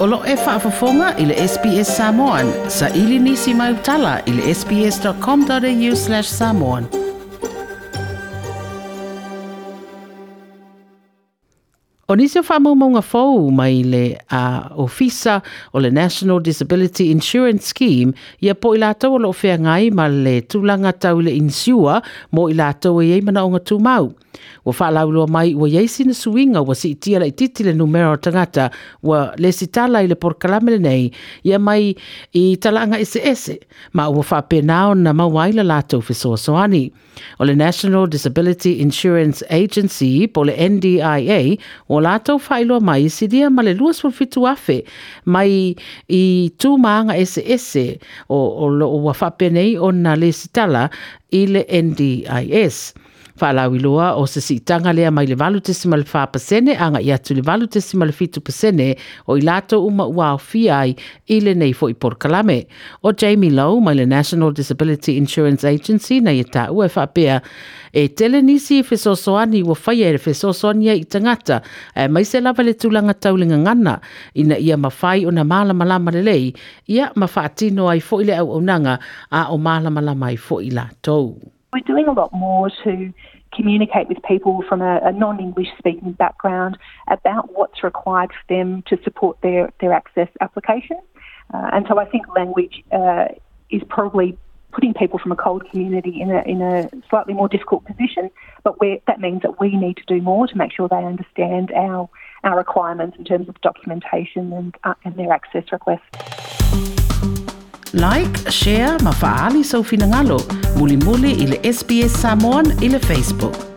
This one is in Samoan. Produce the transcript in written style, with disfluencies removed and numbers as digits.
O lo e faafofoga i le SBS Samoan. Saili nisi mai utala i le sbs.com.au/samoan. O nisi o faamaumauga fou mai le ofisa o le National Disability Insurance Scheme, ia po i latou o lo o feagai ma le tulaga tau i le insure mo i latou e i ai manaoga tumau. Ua faalauiloa mai ua i ai sina suiga ua siitia laitiiti le numera o tagata ua lesitala i le polokalame lenei ia mai i talaaga eseese ma ua faapena ona maua ai le latou fesoasoani. O le National Disability Insurance Agency po o le NDIA ua latou faailoa mai silia ma le 27,000 mai i tu ma aga eseese o lo o ua faapenei ona lesitala i le NDIS. Faalauiloa o se siitaga lea mai le 8.4% agai atu i le 8.7% o i latou uma ua aofia ai i lenei foi polokalame. O Jamie Lowe mai le National Disability Insurance Agency na ia taua e faapea e tele nisi fesoasoani ua faia e fesoasoani ai i tagata aemaise lava le tulaga tau le gagana ina ia mafai ona malamalama lelei ia ma faatino ai foi le auaunaga a o malamalama ai foi latou. We're doing a lot more to communicate with people from a non-English speaking background about what's required for them to support their access application. And so I think language is probably putting people from a CALD community in a slightly more difficult position, but that means that we need to do more to make sure they understand our requirements in terms of documentation and their access requests. Like, share ma faali sau finagalo. Mulimuli i le SBS Samoan i le Facebook.